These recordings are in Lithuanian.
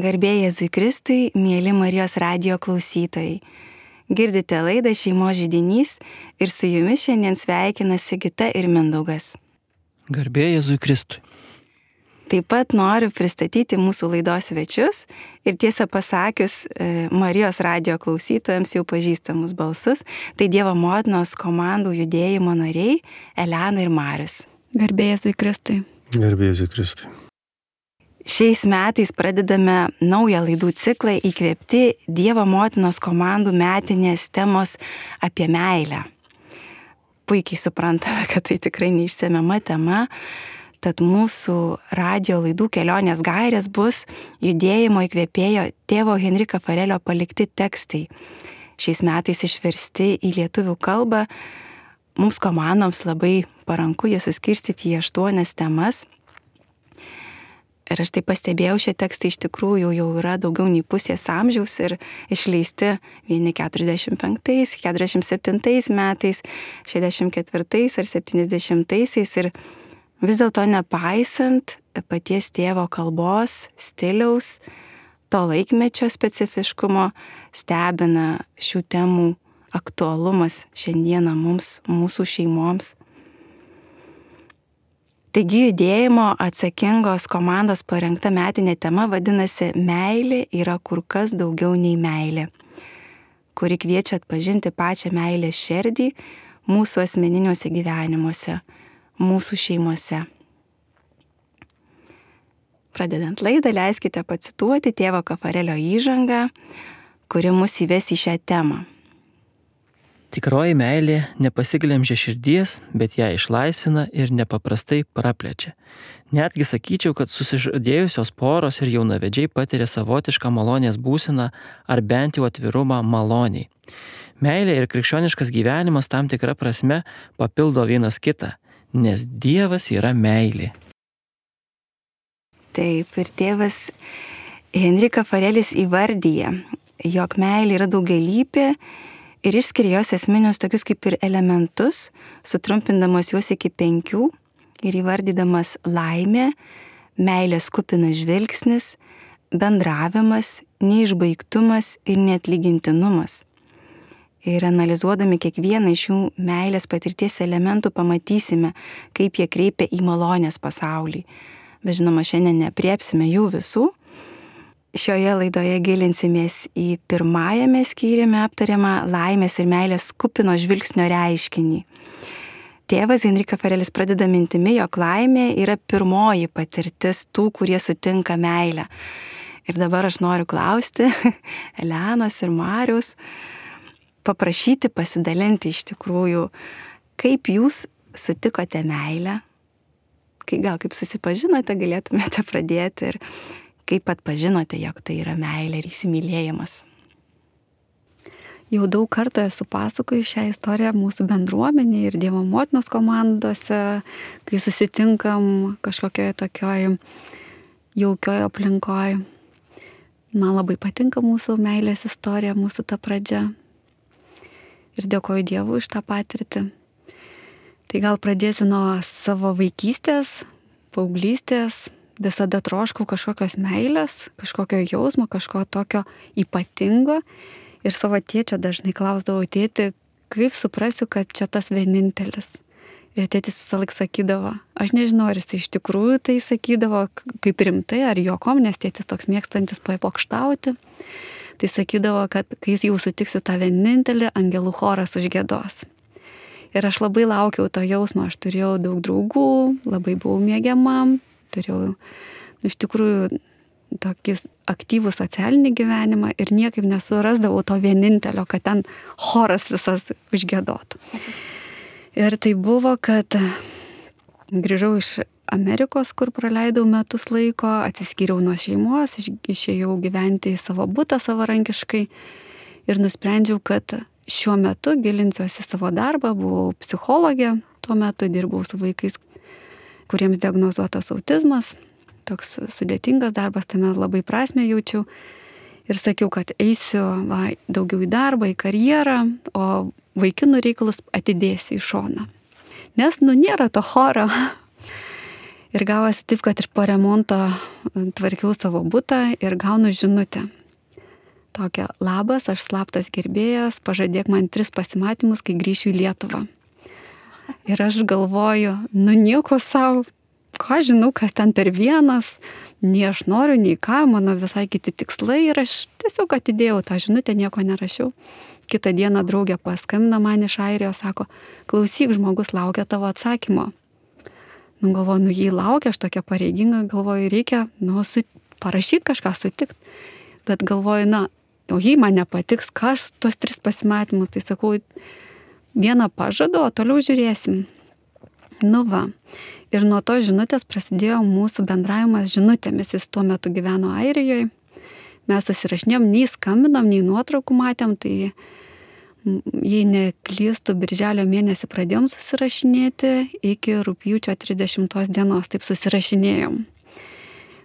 Garbė Jėzui Kristui, mėly Marijos radijo klausytojai. Girdite laidą Šeimos židinys ir su jumis šiandien sveikina Sigita ir Mindaugas. Garbė Jėzui Kristui. Taip pat noriu pristatyti mūsų laidos svečius ir tiesą pasakius Marijos radijo klausytojams jau pažįstamus balsus. Tai Dievo motinos komandų judėjimo nariai Elena ir Marius. Garbė Jėzui Kristui. Garbė Jėzui Kristui. Šiais metais pradedame naują laidų ciklą įkvėpti Dievo motinos komandų metinės temos apie meilę. Puikiai suprantame, kad tai tikrai neišsemiama tema, tad mūsų radijo laidų kelionės gairės bus judėjimo įkvėpėjo tėvo Henrika Farelio palikti tekstai. Šiais metais išversti į lietuvių kalbą. Mums komandoms labai paranku jie suskirstyti į 8 temas. Ir aš tai pastebėjau, šie tekstai iš tikrųjų jau yra daugiau nei pusės amžiaus ir išleisti vieni 45, 47 metais, 64 ar 70-aisiais. Ir vis dėlto nepaisant paties tėvo kalbos, stiliaus, to laikmečio specifiškumo, stebina šių temų aktualumas šiandieną mums, mūsų šeimoms. Taigi judėjimo atsakingos komandos parengta metinė tema vadinasi Meilė yra kur kas daugiau nei meilė, kuri kviečia atpažinti pačią meilės šerdį mūsų asmeniniuose gyvenimuose, mūsų šeimose. Pradedant laidą, leiskite pacituoti tėvo Farelio įžangą, kuri mus įves į šią temą. Tikroji meilė nepasiglemžia širdies, bet ją išlaisvina ir nepaprastai praplečia. Netgi sakyčiau, kad susižadėjusios poros ir jaunavedžiai patiria savotišką malonės būseną ar bent jau atvirumą maloniai. Meilė ir krikščioniškas gyvenimas tam tikra prasme papildo vienas kitą, nes Dievas yra meilė. Taip, ir tėvas Henrika Farelis įvardyja, jog meilė yra daugialypė ir išskiria jos esminius tokius kaip ir elementus, sutrumpindamas juos iki 5 ir įvardydamas laimė, meilės kupinas žvilgsnis, bendravimas, neišbaigtumas ir neatlygintinumas. Ir analizuodami kiekvieną iš šių meilės patirties elementų pamatysime, kaip jie kreipia į malonės pasaulį. Bet žinoma, šiandien neapriepsime jų visų. Šioje laidoje gilinsimės į pirmajame skyriumi aptariamą laimės ir meilės kupino žvilgsnio reiškinį. Tėvas Henrika Farelis pradeda mintimi, jog laimė yra pirmoji patirtis tų, kurie sutinka meilę. Ir dabar aš noriu klausti Elenos ir Mariaus, paprašyti pasidalinti iš tikrųjų, kaip jūs sutikote meilę, gal kaip susipažinote, galėtumėte pradėti ir kaip atpažinote, jog tai yra meilė ir įsimylėjimas? Jau daug kartų esu pasakojus šią istoriją mūsų bendruomenėje ir Dievo motinos komandose, kai susitinkam kažkokioje tokioje jaukioje aplinkoje. Man labai patinka mūsų meilės istorija, mūsų ta pradžia. Ir dėkoju Dievui už tą patirtį. Tai gal pradėsiu nuo savo vaikystės, paauglystės. Visada troškau kažkokios meilės, kažkokio jausmo, kažko tokio ypatingo. Ir savo tėčio dažnai klausdavau, tėti, kaip suprasiu, kad čia tas vienintelis. Ir tėtis visą laiką sakydavo, aš nežinau, ar jis iš tikrųjų tai sakydavo kaip rimtai, ar juokom, nes tėtis toks mėgstantis papokštauti. Tai sakydavo, kad kai jau sutiksiu tą vienintelį, angelų choras užgiedos. Ir aš labai laukiau to jausmo, aš turėjau daug draugų, labai buvau mėgiama. Turėjau iš tikrųjų tokį aktyvų socialinį gyvenimą ir niekaip nesurasdavau to vienintelio, kad ten choras visas užgiedotų. Ir tai buvo, kad grįžau iš Amerikos, kur praleidau metus laiko, atsiskyriau nuo šeimos, išėjau gyventi į savo butą savarankiškai ir nusprendžiau, kad šiuo metu gilinsiuosi savo darbą, buvau psichologė, tuo metu dirbau su vaikais, kuriems diagnozuotas autizmas, toks sudėtingas darbas, tame labai prasmę jaučiau ir sakiau, kad eisiu daugiau į darbą, į karjerą, o vaikinų reikalus atidėsiu į šoną. Nes nėra to choro. Ir gavosi taip, kad ir po remonto tvarkiau savo butą ir gaunu žinutę. Tokia: labas, aš slaptas gerbėjas, pažadėk man 3 pasimatymus, kai grįšiu į Lietuvą. Ir aš galvoju, nieko savo, ką žinau, kas ten per vienas, nei aš noriu, nei ką, mano visai kiti tikslai ir aš tiesiog atidėjau tą žinutę, nieko nerašiau. Kitą dieną draugė paskambino man iš Airijos, sako: klausyk, žmogus laukia tavo atsakymo. Galvoju, jį laukia, aš tokia pareiginga, galvoju, reikia, parašyti kažką, sutikti. Bet galvoju, o jei man nepatiks, ką aš tos 3 pasimatymus, tai sakau, vieną pažadu, o toliau žiūrėsim. Va. Ir nuo to žinutės prasidėjo mūsų bendravimas žinutėmis. Jis tuo metu gyveno Airijoje. Mes susirašinėjom, nei skambinom, nei nuotraukų matėm, tai jei neklystu, birželio mėnesį pradėjom susirašinėti, iki rugpjūčio 30 dienos taip susirašinėjom.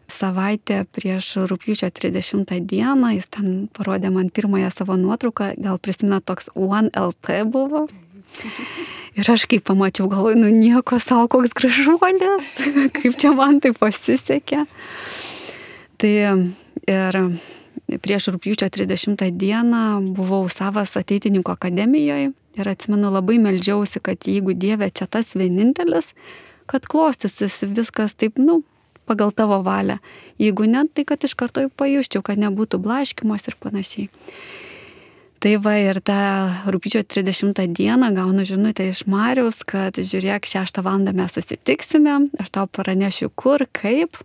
Savaitę prieš rugpjūčio 30 dieną jis ten parodė man pirmąją savo nuotrauką, gal prisimena, toks 1LP buvo. Ir aš kai pamačiau, galvoju, nieko savo, koks gražuolis, kaip čia man tai pasisekė. Tai ir prieš rugpjūčio 30 dieną buvau Savas ateitininkų akademijoje ir atsimenu, labai meldžiausi, kad jeigu Dieve čia tas vienintelis, kad klostysis viskas taip, pagal tavo valią. Jeigu ne, tai kad iš karto pajusčiau, kad nebūtų blaškymos ir panašiai. Tai va, ir tą rugpjūčio 30 dieną gaunu žinutę iš Mariaus, kad žiūrėk, 6 valandą mes susitiksime, aš tau pranešiu kur, kaip.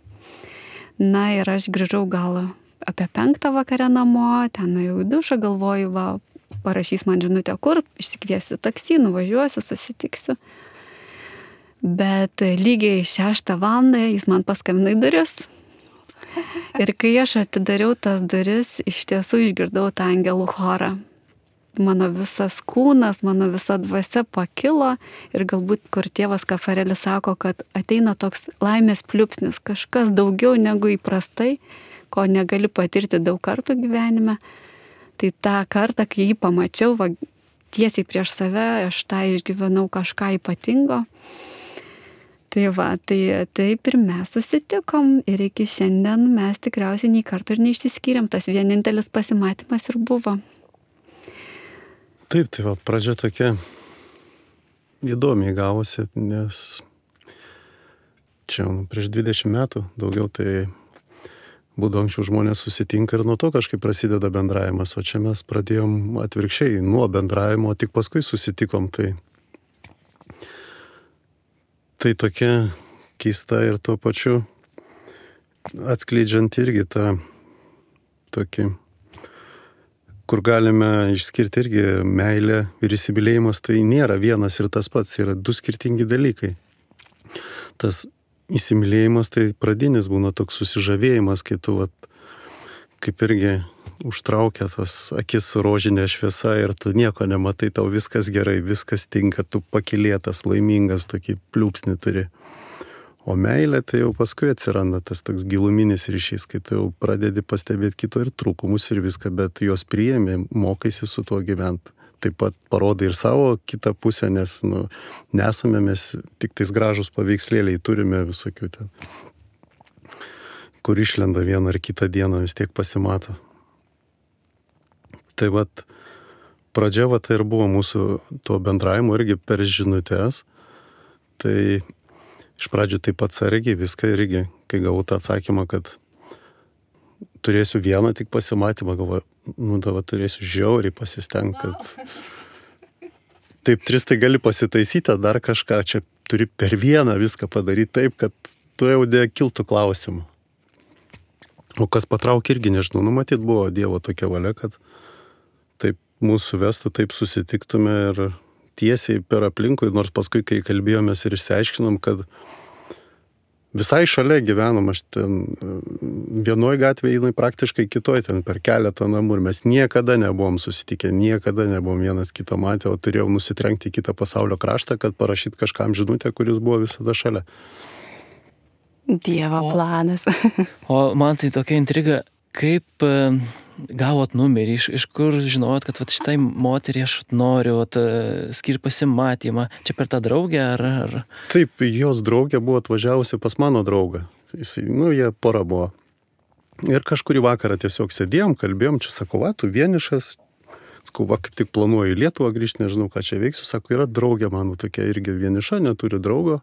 Ir aš grįžau gal apie 5 vakare namo, ten nuėjau į dušą, galvoju, va, parašys man žinutę kur, išsikviesiu taksi, nuvažiuosiu, susitiksiu. Bet lygiai 6 valandą jis man paskambino į duris. Ir kai aš atidariau tas duris, iš tiesų išgirdau tą angelų chorą. Mano visas kūnas, mano visa dvasia pakilo ir galbūt, kur tėvas Kafarelis sako, kad ateina toks laimės pliūpsnis, kažkas daugiau negu įprastai, ko negali patirti daug kartų gyvenime. Tai tą kartą, kai jį pamačiau, tiesiai prieš save, aš tą išgyvenau kažką ypatingo. Tai va, taip ir mes susitikom ir iki šiandien mes tikriausiai nei karto ir neišsiskyrėm, tas vienintelis pasimatymas ir buvo. Taip, tai va, pradžia tokia įdomiai gavosi, nes čia prieš 20 metų daugiau tai būdavo anksčiau žmonės susitinka ir nuo to kažkaip prasideda bendravimas, o čia mes pradėjom atvirkščiai nuo bendravimo, tik paskui susitikom, Tai tokia keista ir tuo pačiu atskleidžiant irgi tą tokį, kur galime išskirti irgi meilę ir įsimylėjimas, tai nėra vienas ir tas pats, yra 2 skirtingi dalykai. Tas įsimylėjimas tai pradinis būna toks susižavėjimas, kai tu kaip irgi užtraukia tas akis rožinė šviesa ir tu nieko nematai, tau viskas gerai, viskas tinka, tu pakylėtas, laimingas, tokį pliūpsnį turi. O meilė tai jau paskui atsiranda tas toks giluminis ryšys, kai tu jau pradedi pastebėti kito ir trūkumus ir viską, bet jos priėmė, mokaisi su tuo gyventi. Taip pat parodai ir savo kitą pusę, nes nesame mes tik tais gražus paveikslėliai, turime visokių ten, kur išlenda vieną ar kitą dieną, vis tiek pasimato. Tai pradžia tai ir buvo mūsų to bendravimo irgi per žinutės. Tai iš pradžių taip atsargiai viską irgi, kai gavau tą atsakymą, kad turėsiu vieną tik pasimatymą, galvoju, turėsiu žiauriai pasistengti, kad taip 3 tai gali pasitaisyti, dar kažką, čia turi per vieną viską padaryti taip, kad tu jau kiltų klausimų. O kas patraukė irgi, nežinau, matyt buvo Dievo tokia valia, kad taip mūsų vestų, taip susitiktume ir tiesiai per aplinkui, nors paskui, kai kalbėjomės ir išsiaiškinom, kad visai šalia gyvenom, aš ten vienoj gatvėje, jinai praktiškai kitoj, ten per keletą namų ir mes niekada nebuvom susitikę, niekada nebuvom vienas kito matę, o turėjau nusitrenkti į kitą pasaulio kraštą, kad parašyti kažkam žinutę, kuris buvo visada šalia. Dievo planas. O man tai tokia intriga, kaip gavot numerį, iš kur žinojot, kad vat, šitai moteriai aš noriu skirti pasimatymą, čia per tą draugę ar... Taip, jos draugė buvo atvažiavusi pas mano draugą. Jie pora buvo. Ir kažkurį vakarą tiesiog sėdėjom, kalbėjom, čia sako, va, tu vienišas, sakau, va, kaip tik planuoju į Lietuvą grįžti, nežinau, ką čia veiksiu, sako, yra draugė mano tokia irgi vieniša, neturi draugo.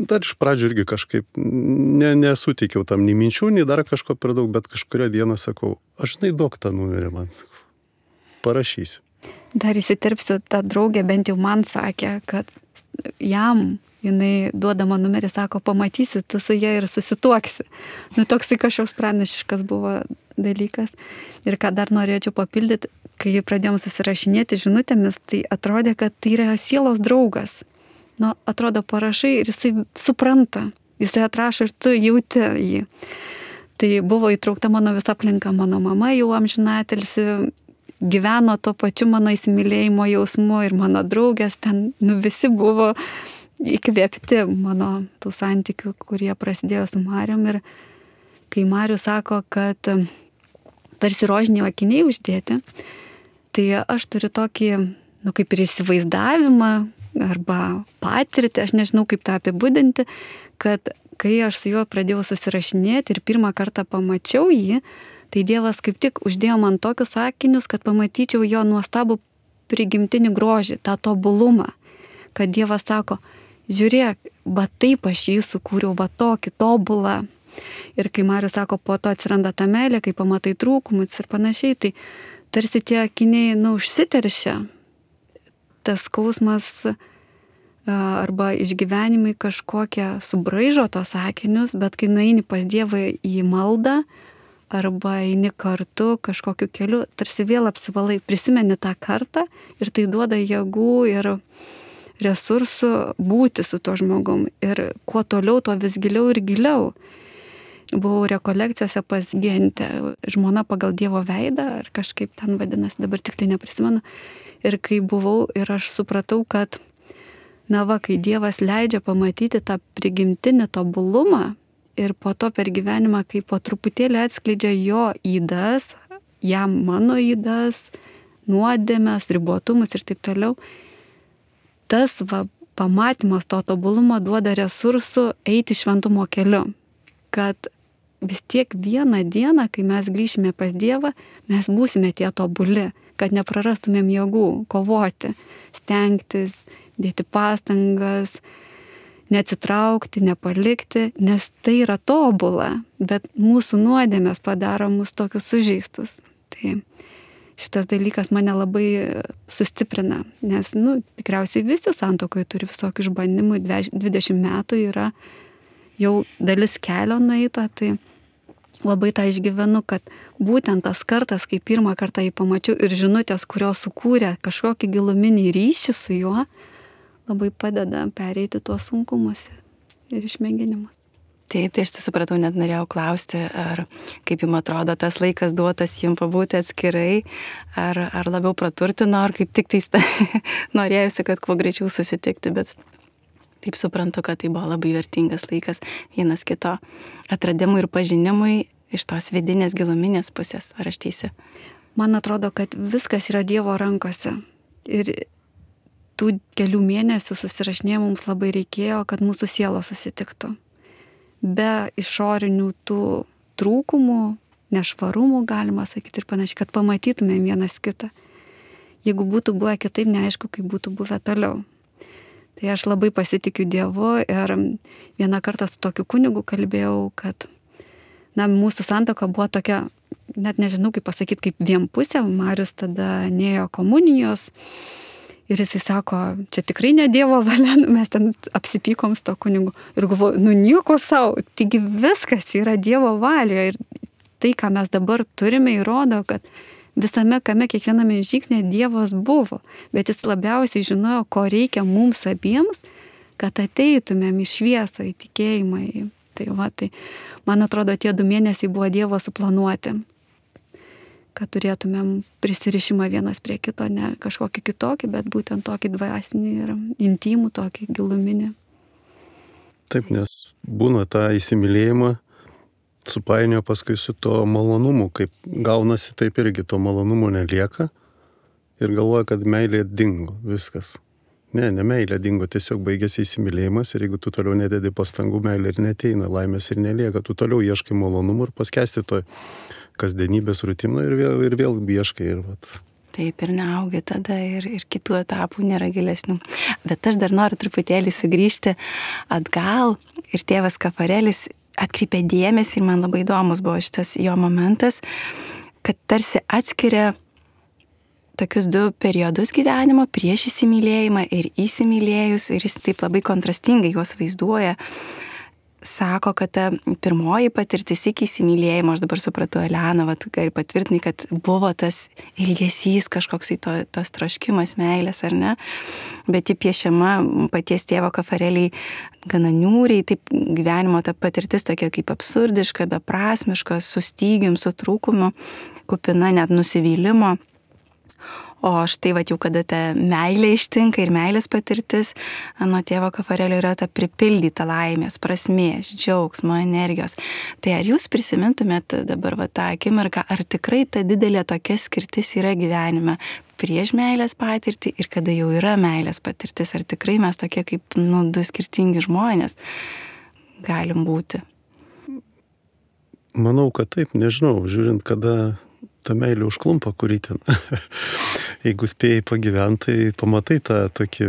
Dar iš pradžių irgi kažkaip nesuteikiau tam nei minčių, nei dar kažko per daug, bet kažkurio dieną sakau, aš duok tą numerį man, parašysiu. Dar įsiterpsiu, ta draugė bent jau man sakė, kad jinai duodama numerį, sako, pamatysi, tu su ja ir susituoksi. Toksai kažkoks pranašiškas buvo dalykas. Ir ką dar norėčiau papildyti, kai pradėjom susirašinėti žinutėmis, tai atrodė, kad tai yra sielos draugas. Atrodo parašai ir jisai supranta, jisai atrašo ir tu jauti jį. Tai buvo įtraukta mano visa aplinka, mano mama jau amžinatilsi gyveno to pačiu mano įsimylėjimo jausmu ir mano draugės ten, visi buvo įkvėpti mano tų santykių, kurie prasidėjo su Marium. Ir kai Marius sako, kad tarsi rožiniai akiniai uždėti, tai aš turiu tokį, kaip ir įsivaizdavimą, arba patirtį, aš nežinau kaip tą apibūdinti, kad kai aš su juo pradėjau susirašinėti ir pirmą kartą pamačiau jį, tai Dievas kaip tik uždėjo man tokius sakinius, kad pamatyčiau jo nuostabų prigimtinį grožį, tą tobulumą, kad Dievas sako, žiūrėk, va taip aš jį sukūriau, va tokį tobulą. Ir kai Marius sako, po to atsiranda ta meilė, kai pamatai trūkumus ir panašiai, tai tarsi tie akiniai, užsiteršia. Tas skausmas arba išgyvenimai kažkokie subraižo tos sakinius, bet kai nueini pas Dievą į maldą arba eini kartu kažkokiu keliu, tarsi vėl apsivalai, prisimeni tą kartą ir tai duoda jėgų ir resursų būti su tuo žmogum. Ir kuo toliau, tuo vis giliau ir giliau. Buvau rekolekcijose pas Gentę, žmona pagal Dievo veidą, ar kažkaip ten vadinasi, dabar tiksliai neprisimenu. Ir kai buvau ir aš supratau, kad, kai Dievas leidžia pamatyti tą prigimtinį tobulumą ir po to per gyvenimą, kai po truputėlį atskleidžia jo ydas, jam mano ydas, nuodėmes, ribotumus ir taip toliau, tas pamatymas to tobulumo duoda resursų eiti šventumo keliu. Kad vis tiek vieną dieną, kai mes grįšime pas Dievą, mes būsime tie tobuli, kad neprarastumėm jėgų kovoti, stengtis, dėti pastangas, neatsitraukti, nepalikti, nes tai yra tobula, bet mūsų nuodėmės padaro mus tokius sužeistus. Tai šitas dalykas mane labai sustiprina, nes tikriausiai visi santuokoje turi visokių išbandymų, 20 metų yra jau dalis kelio nueita, tai labai tą išgyvenu, kad būtent tas kartas, kai pirmą kartą jį pamačiau ir žinutės, kurios sukūrė kažkokį giluminį ryšį su juo, labai padeda pereiti tuos sunkumus ir išmėginimus. Taip, tai aš supratau, net norėjau klausti, ar kaip jums atrodo tas laikas duotas jums pabūti atskirai, ar labiau praturtino, ar kaip tik norėjusi, kad kuo greičiau susitikti, bet taip suprantu, kad tai buvo labai vertingas laikas vienas kito atradimui ir pažinimui iš tos vidinės giluminės pusės. Ar aš teisi? Man atrodo, kad viskas yra Dievo rankose. Ir tų kelių mėnesių susirašinėjimų mums labai reikėjo, kad mūsų sielos susitiktų. Be išorinių tų trūkumų, nešvarumų, galima sakyti ir panašiai, kad pamatytumėm vienas kitą. Jeigu būtų buvę kitaip, neaišku, kaip būtų buvę toliau. Tai aš labai pasitikiu Dievu ir vieną kartą su tokiu kunigu kalbėjau, kad mūsų santuoka buvo tokia, net nežinau kaip pasakyti, kaip vienpusė. Marius tada nėjo komunijos ir jisai sako, čia tikrai ne Dievo valia, mes ten apsipykom su to kunigu. Ir galvoju, nieko savo, taigi viskas yra Dievo valioje ir tai, ką mes dabar turime, įrodo, kad visame kame, kiekviename žingsnėje Dievas buvo, bet jis labiausiai žinojo, ko reikia mums abiems, kad ateitumėm į šviesą, į tikėjimą. Tai man atrodo, tie 2 mėnesiai buvo Dievo suplanuoti, kad turėtumėm prisirišimą vienas prie kito, ne kažkokį kitokį, bet būtent tokį dvasinį ir intimų, tokį giluminį. Taip, nes būna tą įsimylėjimą, supainioja paskui su to malonumu, kaip gaunasi, taip irgi to malonumo nelieka ir galvoja, kad meilė dingo, viskas. Ne meilė dingo, tiesiog baigėsi įsimylėjimas ir jeigu tu toliau nededi pastangų, meilė ir neteina, laimės ir nelieka, tu toliau ieškai malonumų ir paskesti to kasdienybės rutino ir vėl ieškai ir vat. Taip ir neaugi tada ir kitų etapų nėra gilesnių. Bet aš dar noriu truputėlį sugrįžti atgal ir tėvas Kafarelis atkreipė dėmesį ir man labai įdomus buvo šitas jo momentas, kad tarsi atskiria tokius du periodus gyvenimo prieš įsimylėjimą ir įsimylėjus ir jis taip labai kontrastingai juos vaizduoja. Sako, kad ta pirmoji patirtis iki įsimylėjimo, aš dabar supratau, Elena, gali patvirtinai, kad buvo tas ilgesys, kažkoks tas troškimas meilės, ar ne? Bet ji piešiama paties tėvo Kafareliai gana niūriai, taip gyvenimo ta patirtis tokia kaip absurdiška, beprasmiška, su stygium, su trūkumu, kupina net nusivylimo. O štai jau kada ta meilė ištinka ir meilės patirtis, nuo tėvo Kafarelio yra ta pripildyta laimės, prasmės, džiaugsmo, energijos. Tai ar jūs prisimintumėt dabar tą akimirką, ar tikrai ta didelė tokia skirtis yra gyvenime prieš meilės patirtį ir kada jau yra meilės patirtis, ar tikrai mes tokie kaip du skirtingi žmonės galim būti? Manau, kad taip, nežinau, žiūrint, kada ta meilė užklumpa, kurį ten. Jeigu spėjai pagyventi, tai pamatai tą tokį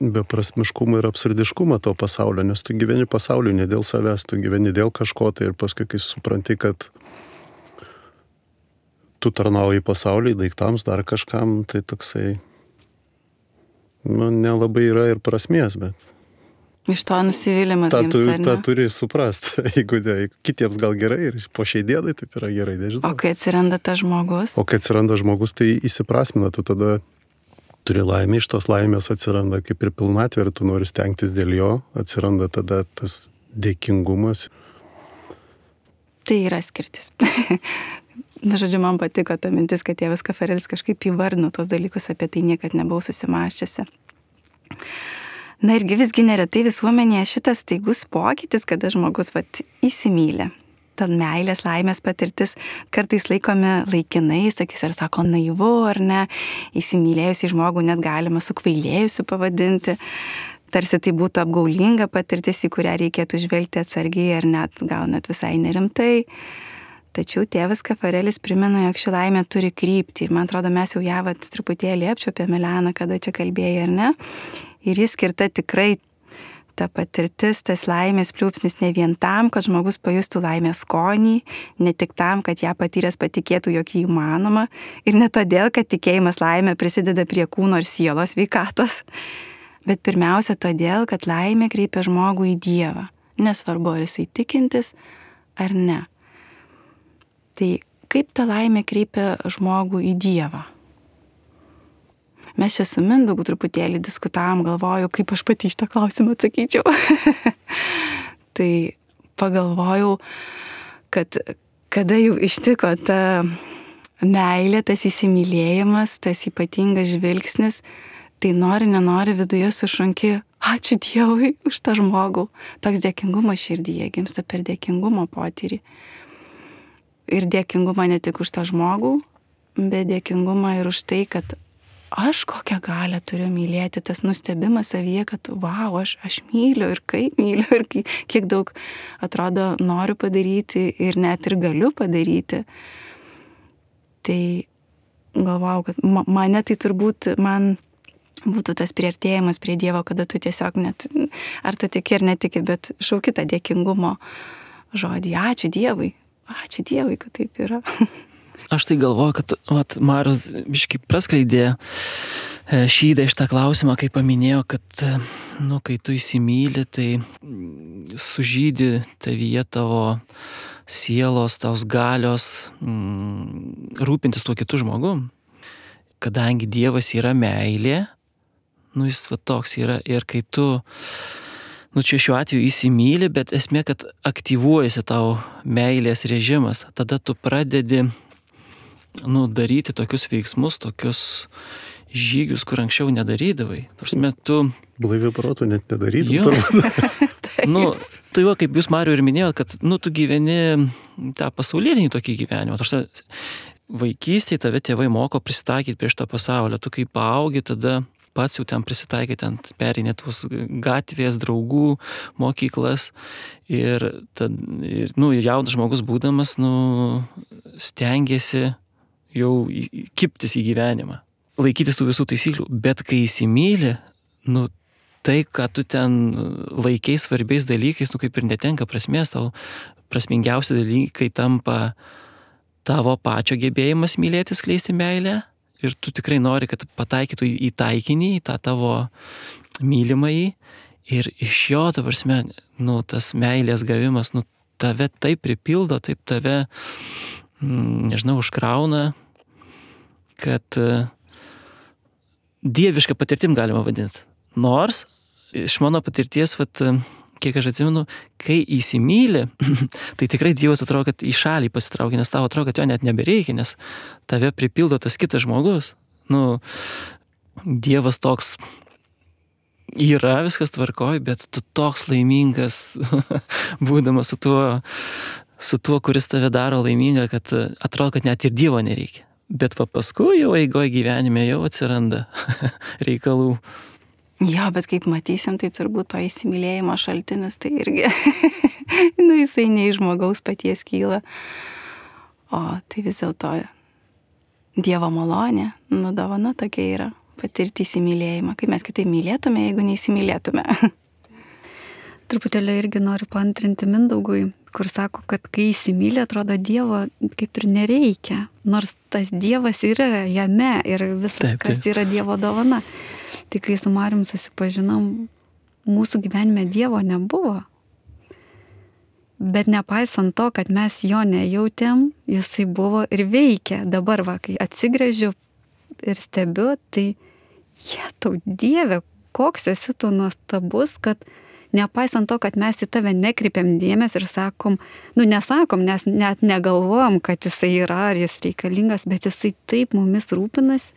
beprasmiškumą ir absurdiškumą to pasaulio, nes tu gyveni pasauliu ne dėl savęs, tu gyveni dėl kažko, tai ir paskui, kai supranti, kad tu tarnauji pasauliui, daiktams, dar kažkam, tai toksai, nelabai yra ir prasmės, bet iš to nusivylimas gimsta, tą turi suprasti, jeigu kitiems gal gerai ir po šiai dienai taip yra gerai, nežinau. O kai atsiranda tas žmogus? O kai atsiranda žmogus, tai įsiprasmina, tu tada turi laimę, iš tos laimės atsiranda kaip ir pilnatvė ir tu nori stengtis dėl jo, atsiranda tada tas dėkingumas. Tai yra skirtis. Žodžiu, man patiko ta mintis, kad tėvas Kafarelis kažkaip įvardino tos dalykus, apie tai niekad nebuvau susimąsčiusi. Na irgi visgi neretai visuomenėje šitas staigus pokytis, kada žmogus įsimylė. Ta meilės, laimės patirtis kartais laikomi laikinais, sakys, ar sako naivu, ar ne, įsimylėjusi žmogų net galima sukvailėjusi pavadinti. Tarsi tai būtų apgaulinga patirtis, į kurią reikėtų žvelgti atsargiai ar gal net visai nerimtai. Tačiau tėvas Kafarelis primena, jog ši laimė turi kryptį. Ir man atrodo, mes jau ją truputėlį apčiuopėme, Elena, kada čia kalbėjai, ar ne? Ir jis skirta tikrai ta patirtis, tas laimės pliūpsnis ne vien tam, kad žmogus pajustų laimės skonį, ne tik tam, kad ją patyręs patikėtų, jog jį įmanoma, ir ne todėl, kad tikėjimas laimė prisideda prie kūno ir sielos sveikatos, bet pirmiausia todėl, kad laimė kreipia žmogų į Dievą, nesvarbu, ar jisai tikintis ar ne. Tai kaip ta laimė kreipia žmogų į Dievą? Mes čia su Mindaugu truputėlį diskutavom, galvoju, kaip aš pati šitą klausimą atsakyčiau. Tai pagalvojau, kad kada jau ištiko ta meilė, tas įsimylėjimas, tas ypatingas žvilgsnis, tai nenori viduje sušunki, ačiū Dievui už tą žmogų. Toks dėkingumas širdyje gimsta per dėkingumo potyrį. Ir dėkingumą ne tik už tą žmogų, bet dėkingumą ir už tai, kad aš kokią galią turiu mylėti, tas nustebimas savyje, kad vau, aš myliu ir kaip myliu ir kiek daug atrodo noriu padaryti ir net ir galiu padaryti. Tai galvau, kad mane tai turbūt man būtų tas priartėjimas prie Dievo, kada tu tiesiog net, ar tu tiki ar netiki, bet šauki tą dėkingumo žodį. Ačiū Dievui, kad taip yra. Aš tai galvoju, kad Marius biškai praskleidė šydą iš tą klausimą, kai paminėjo, kad kai tu įsimyli, tai sužydi tavyje tavo sielos, tos galios rūpintis tuo kitu žmogum. Kadangi Dievas yra meilė, jis toks yra ir kai tu čia šiuo atveju įsimyli, bet esmė, kad aktyvuojasi tau meilės režimas, tada tu pradedi daryti tokius veiksmus, tokius žygius, kur anksčiau nedarydavai. Tu Blaiviu protu net nedarydavai. Tai va, kaip jūs, Mariau, ir minėjot, kad, tu gyveni tą pasaulietinį tokį gyvenimą. Vaikystėje tave tėvai moko prisitaikyti prie šito pasaulio. Tu kai paaugi, tada pats jau ten prisitaikai, ten perinė tos gatvės, draugų, mokyklas. Ir jaunas žmogus būdamas, stengiasi jau kiptis į gyvenimą, laikytis tų visų taisyklių. Bet kai įsimyli, tai, ką tu ten laikiai svarbiais dalykais, kaip ir netenka prasmės, tau prasmingiausi dalykai tampa tavo pačio gebėjimas mylėti, skleisti meilę. Ir tu tikrai nori, kad pataikytų į taikinį, į tą tavo mylimąjį. Ir iš jo, ta prasme, tas meilės gavimas, tave taip pripildo, taip tave, užkrauna, kad dievišką patirtim galima vadinti. Nors, iš mano patirties, kiek aš atsimenu, kai įsimyli, tai tikrai Dievas atrodo, kad į šalį pasitraukia, nes tau atrodo, kad jo net nebereikia, nes tave pripildo tas kitas žmogus. Dievas toks yra, viskas tvarkoj, bet tu toks laimingas, būdamas su tuo, kuris tave daro laimingą, kad atrodo, kad net ir Dievo nereikia. Bet paskui jau eigoje gyvenime jau atsiranda reikalų. Jo, bet kaip matysim, tai turbūt to įsimylėjimo šaltinis, tai irgi, jisai ne iš žmogaus paties kyla. O tai vis dėlto Dievo malonė, dovana tokia yra, patirti įsimylėjimą. Kaip mes kitaip mylėtume, jeigu neįsimylėtume. Truputėlį irgi noriu paantrinti Mindaugui, kur sako, kad kai įsimylė, atrodo, Dievo kaip ir nereikia. Nors tas Dievas yra jame ir viskas, kas yra Dievo dovana. Tai kai su Marium susipažinom, mūsų gyvenime Dievo nebuvo. Bet nepaisant to, kad mes jo nejautėm, jisai buvo ir veikia. Dabar, kai atsigręžiu ir stebiu, tai tau Dieve, koks esi tu nuostabus, kad nepaisant to, kad mes į tave nekreipiam dėmesį ir sakom, nesakom, nes net negalvojam, kad jisai yra ar jis reikalingas, bet jisai taip mumis rūpinas,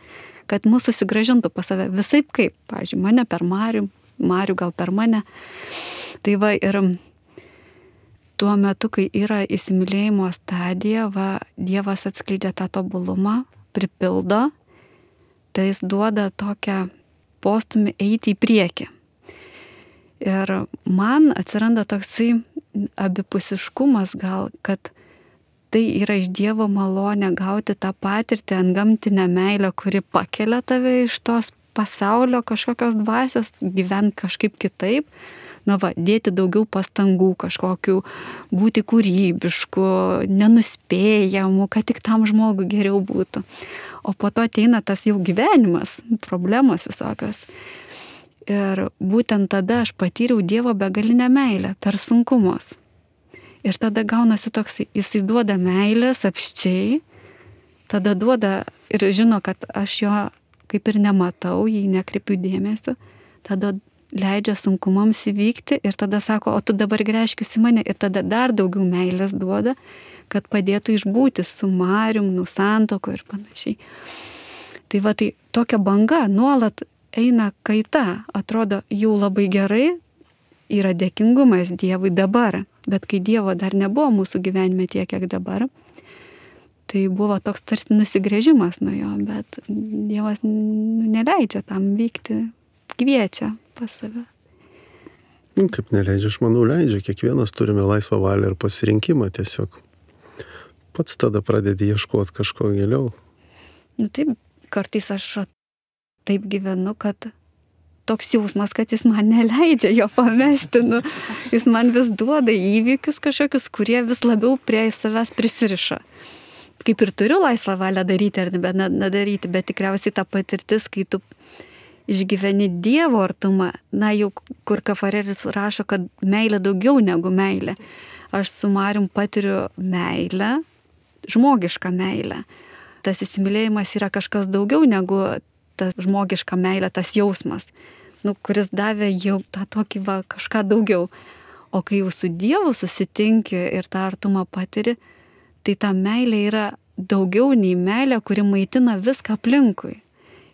kad mūsų susigrąžintų pas save visaip kaip, pavyzdžiui, mane per Marių gal per mane. Tai ir tuo metu, kai yra įsimylėjimo stadija, Dievas atskleidžia tą tobulumą, pripildo, tai jis duoda tokią postumį eiti į priekį. Ir man atsiranda toksai abipusiškumas gal, kad tai yra iš Dievo malonė gauti tą patirtį antgamtinę meilę, kuri pakelia tave iš tos pasaulio kažkokios dvasios, gyventi kažkaip kitaip, dėti daugiau pastangų kažkokių, būti kūrybišku, nenuspėjamu, kad tik tam žmogui geriau būtų. O po to ateina tas jau gyvenimas, problemos visokios. Ir būtent tada aš patyriau Dievo begalinę meilę per sunkumus. Ir tada gaunasi toks, jisai duoda meilės apščiai, tada duoda ir žino, kad aš jo kaip ir nematau, jį nekreipiu dėmesio, tada leidžia sunkumams įvykti ir tada sako, o tu dabar gręžkis į mane ir tada dar daugiau meilės duoda, kad padėtų išbūti su Marium, santoko ir panašiai. Tai tokia banga nuolat eina kaita, atrodo jau labai gerai, yra dėkingumas Dievui dabar. Bet kai Dievo dar nebuvo mūsų gyvenime tiek, kiek dabar, tai buvo toks tarsi nusigręžimas nuo jo, bet Dievas neleidžia tam vykti, kviečia pas save. Kaip neleidžia, aš manau, leidžia. Kiekvienas turime laisvą valią ir pasirinkimą tiesiog. Pats tada pradedi ieškoti kažko giliau. Taip, kartais aš taip gyvenu, kad toks jausmas, kad jis man neleidžia jo pamesti. Jis man vis duoda įvykius kažkokius, kurie vis labiau prie savęs prisiriša. Kaip ir turiu laisvą valią daryti ar nedaryti, bet tikriausiai ta patirtis, kai tu išgyveni Dievo artumą, jau kur Kafarelis rašo, kad meilė daugiau negu meilė. Aš su Marium patiriu meilę, žmogišką meilę. Tas įsimylėjimas yra kažkas daugiau negu ta žmogiška meilė, tas jausmas, kuris davė jau tą tokį kažką daugiau. O kai jau su Dievu susitinki ir tą artumą patiri, tai ta meilė yra daugiau nei meilė, kuri maitina viską aplinkui.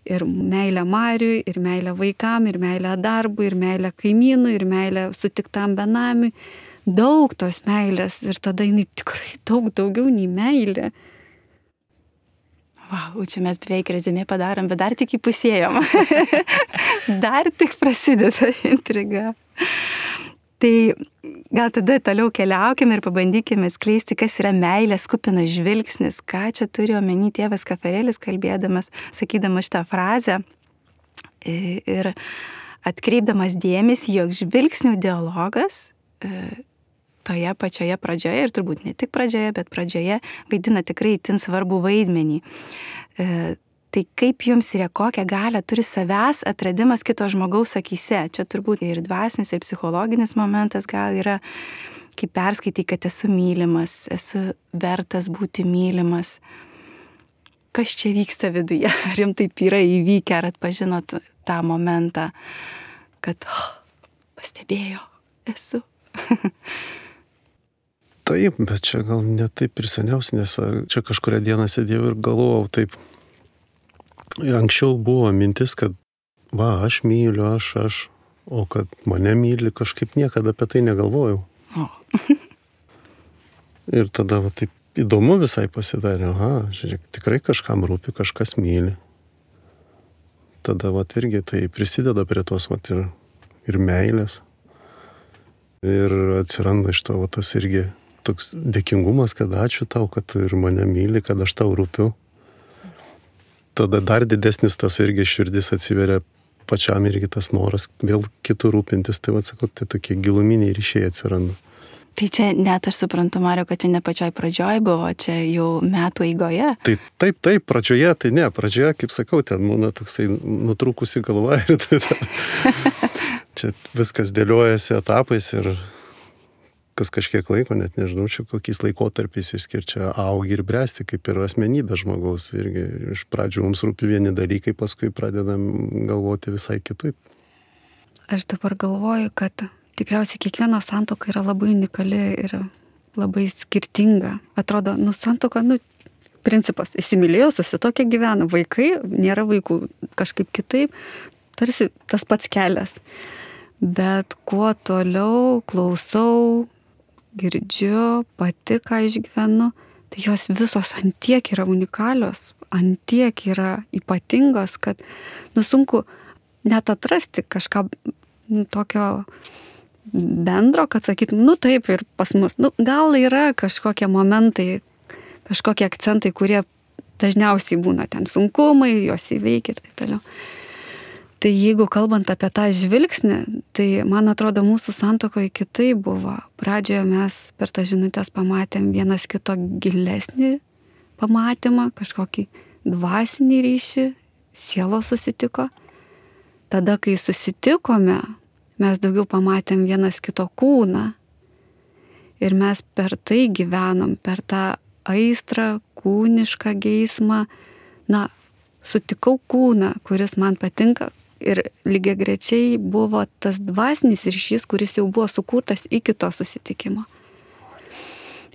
Ir meilę Mariui, ir meilę vaikam, ir meilę darbui, ir meilę kaimynui, ir meilę sutiktam benamiui. Daug tos meilės ir tada jinai tikrai daug daugiau nei meilė. Vau, čia mes beveik rezumė padarom, bet dar tik įpusėjom. Dar tik prasideda intriga. Tai gal tada toliau keliaukime ir pabandykime skleisti, kas yra meilės kupinas žvilgsnis. Ką čia turi omeny tėvas Kafarelis, kalbėdamas, sakydamas šitą frazę ir atkreipdamas dėmesį, jog žvilgsnių dialogas toje pačioje pradžioje, ir turbūt ne tik pradžioje, bet pradžioje vaidina tikrai itin svarbų vaidmenį. Tai kaip jums yra, kokią galią turi savęs atradimas kito žmogaus akyse? Čia turbūt ir dvasinis, ir psichologinis momentas gal yra, kaip perskaitai, kad esu mylimas, esu vertas būti mylimas. Kas čia vyksta viduje? Ar jums taip yra įvykę, ar atpažinot tą momentą, kad pastebėjo, esu? Taip, bet čia gal ne taip ir seniausiai, nes čia kažkuria dieną sėdėjau ir galvojau taip. Anksčiau buvo mintis, kad aš myliu, aš, o kad mane myli, kažkaip niekada apie tai negalvojau. Ir tada taip įdomu visai pasidarė, žiūrėk, tikrai kažkam rūpi, kažkas myli. Tada irgi tai prisideda prie tos ir meilės. Ir atsiranda iš to tas irgi toks dėkingumas, kad ačiū tau, kad ir mane myli, kad aš tau rūpiu. Tada dar didesnis tas irgi širdis atsiveria pačiam irgi tas noras vėl kitų rūpintis. Tai sakau, tai tokie giluminiai ryšiai atsiranda. Tai čia net aš suprantu, Mariau, kad čia ne pačioj pradžioj buvo, čia jau metų eigoje. Tai taip, pradžioje, tai ne, pradžioje, kaip sakau, ten būna toksai nutrūkusi galva ir čia viskas dėliojasi etapais ir kas kažkiek laiko, net nežinau, čia kokiais laikotarpiais išskirčia augi ir bręsti, kaip ir asmenybė žmogaus. Irgi iš pradžių mums rūpi vieni dalykai, paskui pradedam galvoti visai kitaip. Aš dabar galvoju, kad tikriausiai kiekviena santuoka yra labai unikali ir labai skirtinga. Atrodo, santuoka, principas, įsimylėjo, susituokė, gyvena, vaikai, nėra vaikų, kažkaip kitaip, tarsi tas pats kelias. Bet kuo toliau klausau, girdžiu, pati ką išgyvenu, tai jos visos antiek yra unikalios, antiek yra ypatingos, kad sunku net atrasti kažką tokio bendro, kad sakytum, taip ir pas mus. Gal yra kažkokie momentai, kažkokie akcentai, kurie dažniausiai būna ten sunkumai, jos įveikia ir taip toliau. Tai jeigu kalbant apie tą žvilgsnį, tai man atrodo mūsų santuokoje kitaip buvo. Pradžioje mes per tas žinutės pamatėm vienas kito gilesnį pamatymą, kažkokį dvasinį ryšį, sielos susitiko. Tada, kai susitikome, mes daugiau pamatėm vienas kito kūną. Ir mes per tai gyvenom, per tą aistrą, kūnišką geismą. Sutikau kūną, kuris man patinka. Ir lygiagrečiai buvo tas dvasinis ryšys, kuris jau buvo sukurtas iki to susitikimo.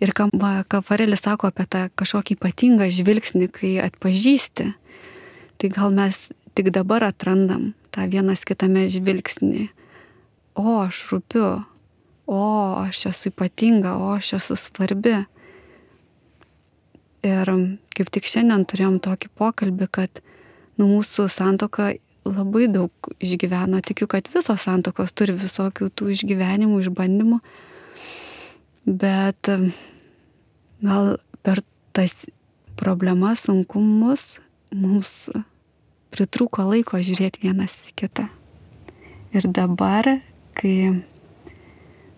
Ir Kafarelis sako apie tą kažkokį ypatingą žvilgsnį, kai atpažįsti, tai gal mes tik dabar atrandam tą vienas kitame žvilgsnį. Aš rūpiu, aš esu ypatinga, aš esu svarbi. Ir kaip tik šiandien turėjom tokį pokalbį, kad mūsų santuoka labai daug išgyveno. Tikiu, kad visos santuokos turi visokių tų išgyvenimų, išbandymų. Bet gal per tas problemas, sunkumus mums pritrūko laiko žiūrėti vienas į kitą. Ir dabar, kai,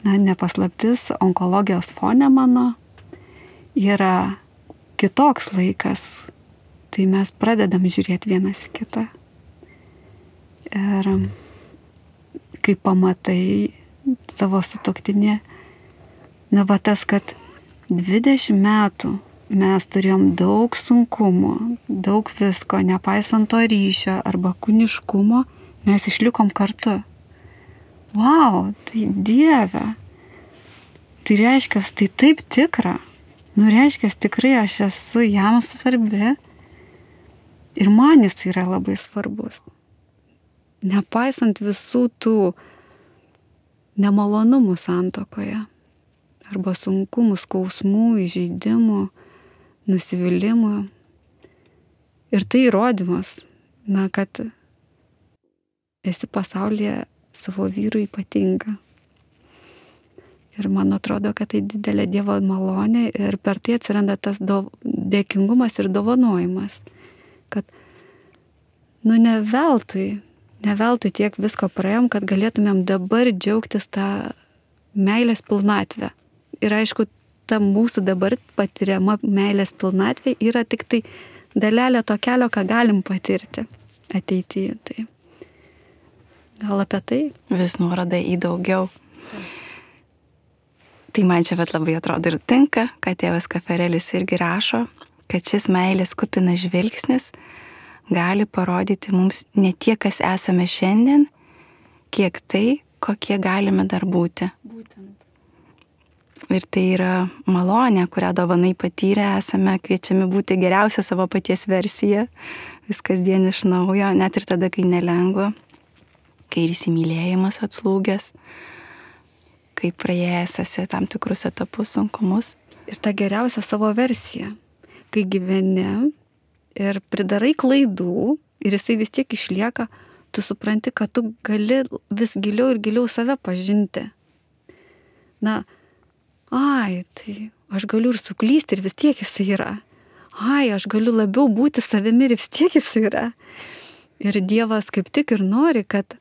nepaslaptis, onkologijos fone mano yra kitoks laikas, tai mes pradedam žiūrėti vienas į kitą. Ir kai pamatai savo sutuoktinį, tas, kad 20 metų mes turėjom daug sunkumų, daug visko, nepaisant to ryšio arba kūniškumo, mes išlikom kartu. Tai Dieve, tai reiškia, tai taip tikra. Reiškia, tikrai aš esu jam svarbi. Ir man jis yra labai svarbus. Nepaisant visų tų nemalonumų santuokoje, arba sunkumų, skausmų, įžeidimų, nusivylimų. Ir tai įrodymas, kad esi pasaulyje savo vyrui ypatinga. Ir man atrodo, kad tai didelė Dievo malonė ir per tai atsiranda tas dėkingumas ir dovanojimas. Kad, ne veltui tiek visko praėjom, kad galėtumėm dabar džiaugtis tą meilės pilnatvę. Ir aišku, ta mūsų dabar patiriama meilės pilnatvė yra tik tai dalelė to kelio, ką galim patirti ateityje. Tai gal apie tai? Vis nuoroda į daugiau. Tai man čia labai atrodo ir tinka, kad tėvas Kafarelis irgi rašo, kad šis meilės kupinas žvilgsnis gali parodyti mums ne tiek, kas esame šiandien, kiek tai, kokie galime dar būti. Būtent. Ir tai yra malonė, kurią dovanai patyrę esame kviečiami būti geriausia savo paties versija, vis kasdien iš naujo, net ir tada, kai nelengva, kai ir įsimylėjimas atslūgęs, kai praėjęs esi tam tikrus etapus, sunkumus. Ir ta geriausia savo versija, kai gyveni ir pridarai klaidų ir jisai vis tiek išlieka, tu supranti, kad tu gali vis giliau ir giliau save pažinti. Tai aš galiu ir suklysti ir vis tiek jisai yra. Aš galiu labiau būti savimi ir vis tiek jisai yra. Ir Dievas kaip tik ir nori, kad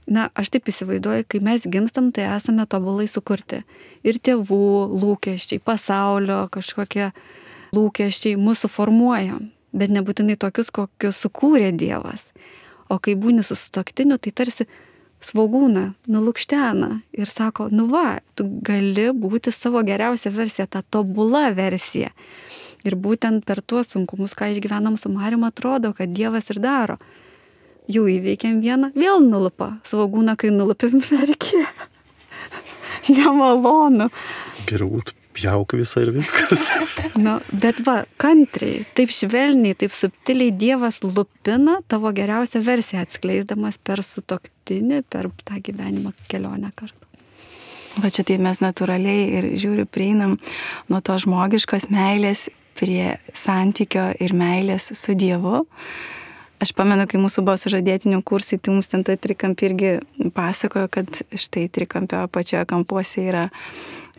aš taip įsivaizduoju, kai mes gimstam, tai esame tobulai sukurti. Ir tėvų lūkesčiai, pasaulio kažkokie lūkesčiai mūsų formuoja, bet nebūtinai tokius, kokius sukūrė Dievas. O kai būni su sutuoktiniu, tai tarsi svogūną, nulukštena ir sako, tu gali būti savo geriausia versija, ta tobula versija. Ir būtent per tuos sunkumus, ką išgyvenam su Marium, atrodo, kad Dievas ir daro. Jau įveikiam vieną, vėl nulupa. Svogūną, kai nulupim, verki. Nemalonu. Geriau pjauk visą ir viskas. Bet kantriai, taip švelniai, taip subtiliai Dievas lupina tavo geriausią versiją, atskleisdamas per sutuoktinį, per tą gyvenimo kelionę kartu. Čia tai mes natūraliai ir prieinam nuo to žmogiškos meilės prie santykio ir meilės su Dievu. Aš pamenu, kai mūsų buvo sužadėtinių kursai, tai mums ten tą trikampį irgi pasakojo, kad štai trikampio apačioje kampuose yra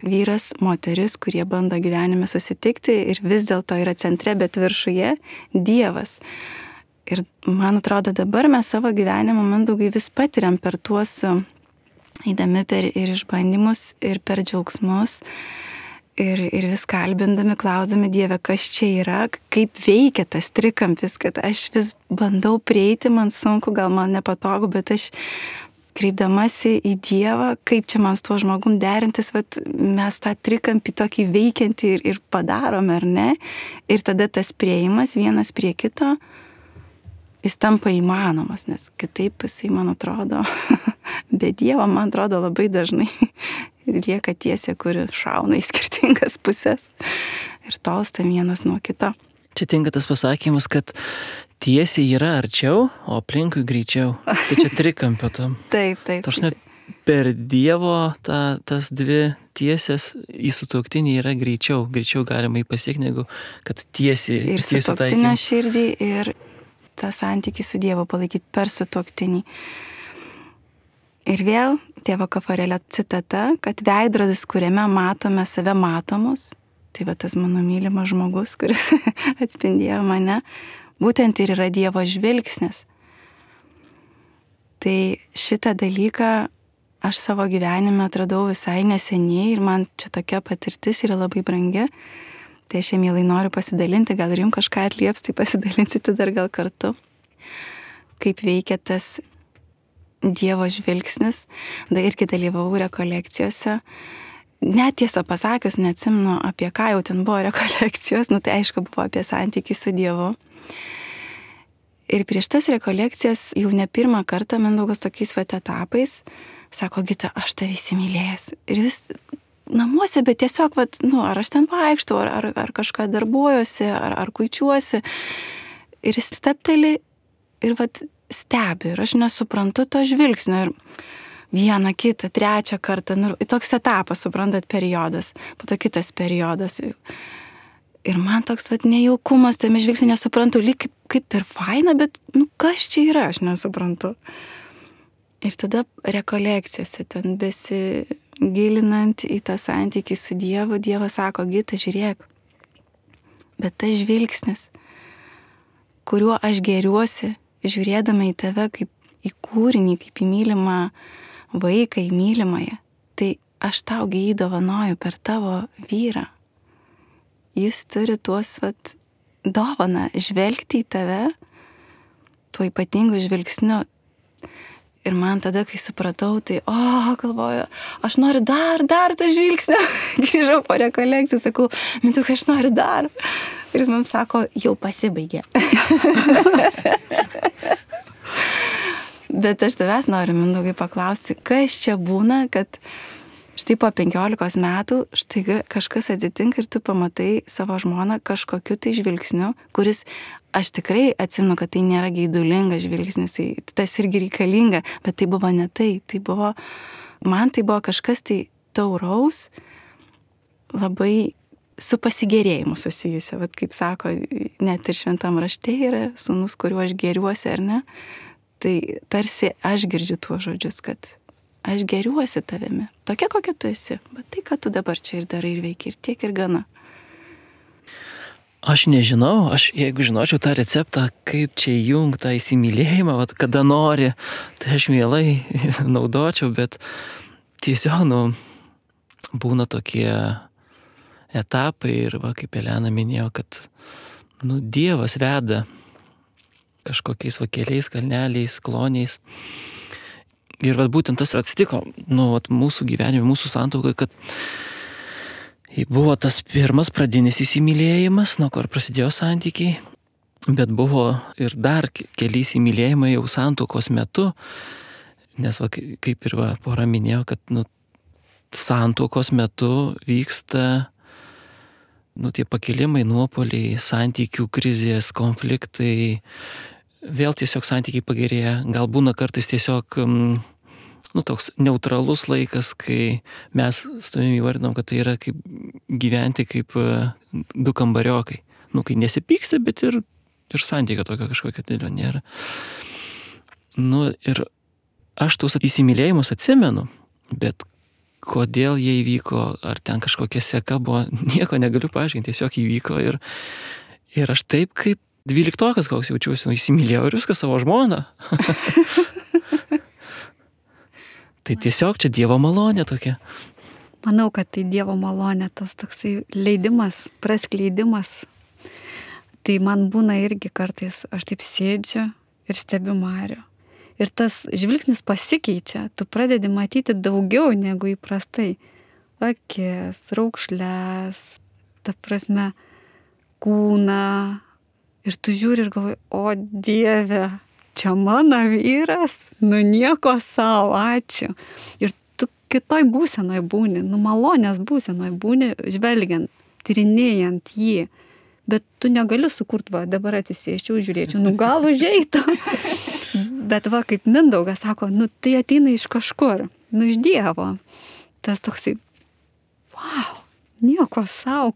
vyras, moteris, kurie bando gyvenime susitikti ir vis dėlto yra centre, bet viršuje Dievas. Ir man atrodo, dabar mes savo gyvenimo, Mindaugai, vis patiriam per tuos, eidami per ir išbandymus, ir per džiaugsmus, ir vis kalbindami, klausdami Dievę, kas čia yra, kaip veikia tas trikampis, kad aš vis bandau prieiti, man sunku, gal man nepatogu, bet aš kreipdamasi į Dievą, kaip čia man su tuo žmogum derintis, mes tą trikampį tokį veikiantį ir padarome, ar ne? Ir tada tas prieimas vienas prie kito, jis tampa įmanomas, nes kitaip jisai, man atrodo, be Dievo, man atrodo, labai dažnai lieka tiesė, kuri šauna į skirtingas pusės ir tolsta vienas nuo kito. Čia tinka tas pasakymas, kad tiesiai yra arčiau, o aplinkui greičiau. Tai čia trikampio tam. Taip. Per Dievo tas dvi tiesės į sutuoktinį yra greičiau galima jį pasiekti, negu kad tiesiai. Ir sutuoktinio širdį, ir tą santykį su Dievu palaikyti per sutuoktinį. Ir vėl tėvo Kafarelio citata, kad veidrodis, kuriame matome save matomus, tai tas mano mylimas žmogus, kuris atspindėjo mane, būtent ir yra Dievo žvilgsnis. Tai šitą dalyką aš savo gyvenime atradau visai neseniai ir man čia tokia patirtis yra labai brangi. Tai aš mielai noriu pasidalinti, gal ir jums kažką atlieps, tai pasidalinsite dar gal kartu. Kaip veikia tas Dievo žvilgsnis, irgi dalyvavau rekolekcijose. Net tiesą pasakius, neatsimenu, apie ką jau ten buvo rekolekcijos, tai aišku buvo apie santykį su Dievu. Ir prieš tas rekolekcijas jau ne pirmą kartą Mindaugas tokiais etapais sako, Gita, aš tave įsimylėjęs. Ir vis namuose, bet tiesiog, ar aš ten vaikštau, ar kažką darbuojuosi, ar kuičiuosi. ir jis stepteli ir vat stebi ir aš nesuprantu to žvilgsnio ir vieną, kitą, trečią kartą, nu, toks etapas, suprantat, periodas, po to kitas periodas. Ir man toks vat nejaukumas, tame žvilgsnė nesuprantu, lyg kaip ir faina, bet, nu, kas čia yra, aš nesuprantu. Ir tada rekolekcijose, ten besigilinant į tą santykį su Dievu, Dievas sako, Gita, žiūrėk, bet tas žvilgsnis, kuriuo aš gėriuosi, žiūrėdama į tave kaip į kūrinį, kaip į mylimą vaiką, į mylimąją, tai aš taugi jį dovanoju per tavo vyrą. Jis turi tuos dovaną žvelgti į tave, tuo ypatingu žvilgsniu. Ir man tada, kai supratau, tai, galvoju, aš noriu dar tą žvilgsnį. Grįžau po rekolekcijų, sakau, Mintukai, aš noriu dar. Ir jis mums sako, jau pasibaigė. Bet aš tavęs noriu, Mindaugai, paklausti, kas čia būna, kad štai po 15 metų štai kažkas atsitinka ir tu pamatai savo žmoną kažkokiu tai žvilgsniu, kuris, aš tikrai atsimenu, kad tai nėra geidulingas žvilgsnis, tas irgi reikalinga, bet tai buvo ne tai. Man tai buvo kažkas tai tauraus, labai su pasigėrėjimu susijusia, kaip sako, net ir šventam rašte yra sūnus, kuriuo aš gėriuosi, ar ne? Tai tarsi aš girdžiu tuos žodžius, kad aš gėriuosi tavimi, tokia kokia tu esi, bet tai, ką tu dabar čia ir darai ir veiki, ir tiek ir gana. Aš nežinau, jeigu žinočiau tą receptą, kaip čia įjungti tą įsimylėjimą, kada nori, tai aš mielai naudočiau, bet tiesiog, būna tokie etapai ir, kaip Elena minėjo, kad, Dievas veda kažkokiais keliais, kalneliais, kloniais. Ir būtent tas atsitiko, mūsų gyvenime, mūsų santuokai, kad buvo tas pirmas pradinis įsimylėjimas, nuo ko ir prasidėjo santykiai, bet buvo ir dar keli įsimylėjimai jau santuokos metu, nes kaip ir pora minėjo, kad santuokos metu vyksta tie pakilimai, nuopuoliai, santykių krizės, konfliktai, vėl tiesiog santykiai pagerėja, gal būna kartais tiesiog toks neutralus laikas, kai mes su tavimi įvardinam, kad tai yra kaip gyventi kaip du kambariokai. Kai nesipyksta, bet ir santykio tokio kažkokio didelio nėra. Ir aš tuos įsimylėjimus atsimenu, bet kodėl jie įvyko, ar ten kažkokia seka buvo, nieko negaliu paaiškinti, tiesiog įvyko ir aš taip kaip 12-okas koks jaučiuosi, įsimylėjau ir viską savo žmoną. Tai tiesiog čia Dievo malonė tokia. Manau, kad tai Dievo malonė, tas toksai leidimas, praskleidimas. Tai man būna irgi kartais, aš taip sėdžiu ir stebiu Marių. Ir tas žvilgsnis pasikeičia, tu pradedi matyti daugiau negu įprastai. Akis, raukšles, ta prasme, kūną. Ir tu žiūri ir galvoji, o Dieve, čia mano vyras, nieko savo, ačiū. Ir tu kitoj būsenoj būni, malonės būsenoj būni, žvelgiant, tyrinėjant jį. Bet tu negali sukurti, dabar atsisėsčiau, žiūrėčiau, gal užeitų. Bet kaip Mindaugas sako, tai ateina iš kažkur, iš Dievo. Tas toksai, nieko savo.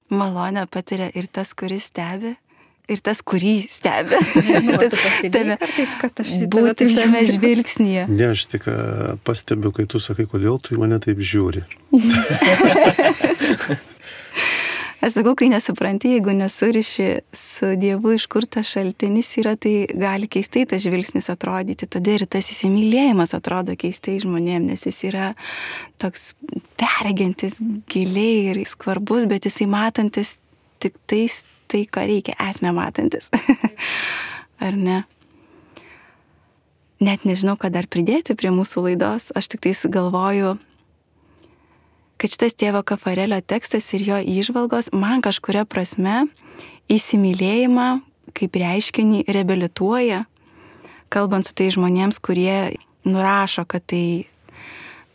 Malonę patiria ir tas, kuris stebi, ir tas, kurį stebi. Būti šiame žvilgsnyje. Ne, aš tik pastebiu, kai tu sakai, kodėl tu į mane taip žiūri. Aš sakau, kai nesupranti, jeigu nesuriši su Dievu, iš kur tas šaltinis yra, tai gali keistai tas žvilgsnis atrodyti. Tada ir tas įsimylėjimas atrodo keistai žmonėm, nes jis yra toks perregintis giliai ir skvarbus, bet jisai matantis tik tais, tai, ką reikia, esmę matantis. Ar ne? Net nežinau, ką dar pridėti prie mūsų laidos. Aš tik tais galvoju, kad šitas tėvo Kafarelio tekstas ir jo įžvalgos man kažkuria prasme įsimylėjimą kaip reiškinį reabilituoja, kalbant su tai žmonėms, kurie nurašo, kad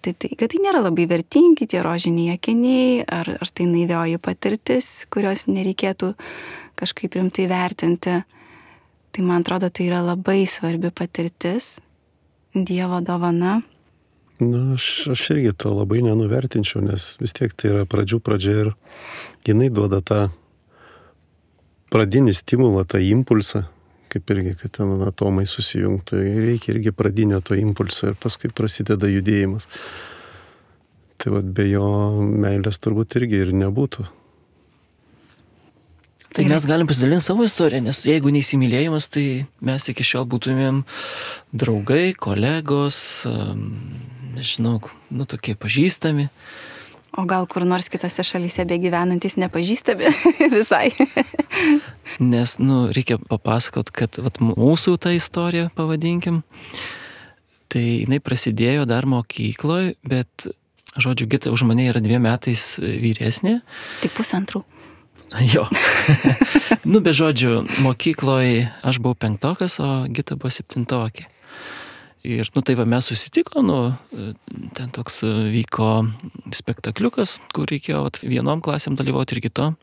kad tai nėra labai vertingi tie rožiniai akiniai, ar tai naivioji patirtis, kurios nereikėtų kažkaip rimtai vertinti. Tai man atrodo, tai yra labai svarbi patirtis, Dievo dovana. Na, aš irgi to labai nenuvertinčiau, nes vis tiek tai yra pradžia ir jinai duoda tą pradinį stimulą, tą impulsą, kaip irgi, kad ten atomai susijungtų. Reikia irgi pradinio to impulso ir paskui prasideda judėjimas. Tai vat be jo meilės turbūt irgi ir nebūtų. Tai mes galim pasidalinti savo istoriją, nes jeigu neįsimylėjimas, tai mes iki šiol būtumėm draugai, kolegos, nežinau, tokie pažįstami. O gal kur nors kitose šalyse begyvenantis nepažįstami visai. Nes, reikia papasakot, kad mūsų tą istoriją, pavadinkim, tai jinai prasidėjo dar mokykloje, bet, žodžiu, Gita už mane yra 2 metais vyresnė. Tik 1,5. Jo. Be žodžiu, mokykloje aš buvau 5-okas, o Gita buvo 7-okė. Ir, tai mes susitikom, ten toks vyko spektakliukas, kur reikėjo vienom klasėm dalyvauti ir kitom.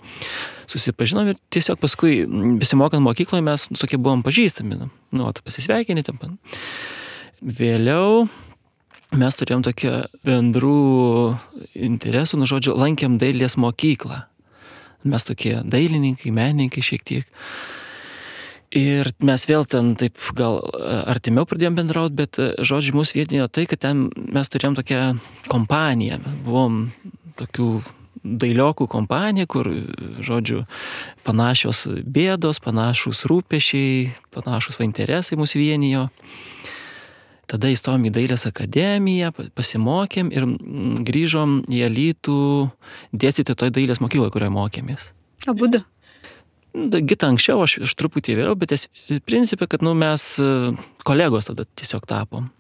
Susipažinom ir tiesiog paskui, besimokant mokykloje, mes tokie buvom pažįstami. Pasisveikinį ten. Vėliau mes turėjom tokią bendrų interesų, žodžiu, lankėm dailės mokyklą. Mes tokie dailininkai, menininkai šiek tiek. Ir mes vėl ten taip gal artimiau pradėjom bendrauti, bet, žodžiu, mūsų vietinijo tai, kad ten mes turėjom tokią kompaniją. Mes buvom tokių dailiokų kompanija, kur, žodžiu, panašios bėdos, panašus rūpešiai, panašus interesai mūsų vienijo. Tada įstojom į dailės akademiją, pasimokėm ir grįžom į Alytų dėstyti toj dailės mokykloje, kurioje mokėmės. Abudu? Gita anksčiau, aš truputį vėliau, bet principė, kad mes kolegos tada tiesiog tapom.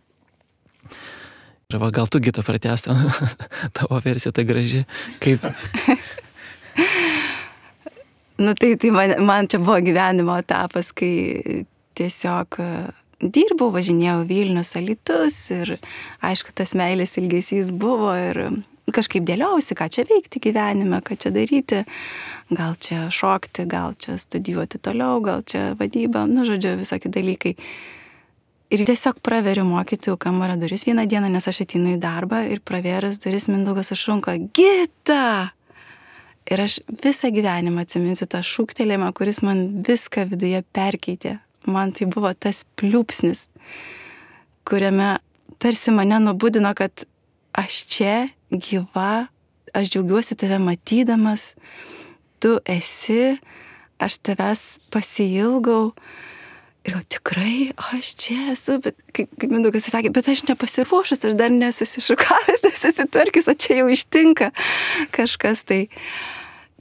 Ir gal tu, Gita, pratęsti tavo versiją, ta graži. Kaip? Tai man čia buvo gyvenimo etapas, kai tiesiog dirbau, važinėjau Vilnius, Alytus ir aišku, tas meilės ilgesys buvo ir kažkaip dėliausi, ką čia veikti gyvenime, ką čia daryti, gal čia šokti, gal čia studijuoti toliau, gal čia vadyba, žodžiu, visokie dalykai. Ir tiesiog praveriu mokytojų kambario duris vieną dieną, nes aš ateinu į darbą ir pravėręs duris Mindaugas sušunka: Gita! Ir aš visą gyvenimą atsiminsiu tą šūktelėjimą, kuris man viską viduje perkeitė. Man tai buvo tas pliūpsnis, kuriame tarsi mane nubudino, kad aš čia gyva, aš džiaugiuosi tave matydamas, tu esi, aš tavęs pasiilgau. Ir tikrai aš čia esu, bet kaip Mindaugas sakė, bet aš nepasiruošus, aš dar nesusišukavęs, nesusitvarkęs, o čia jau ištinka kažkas. Tai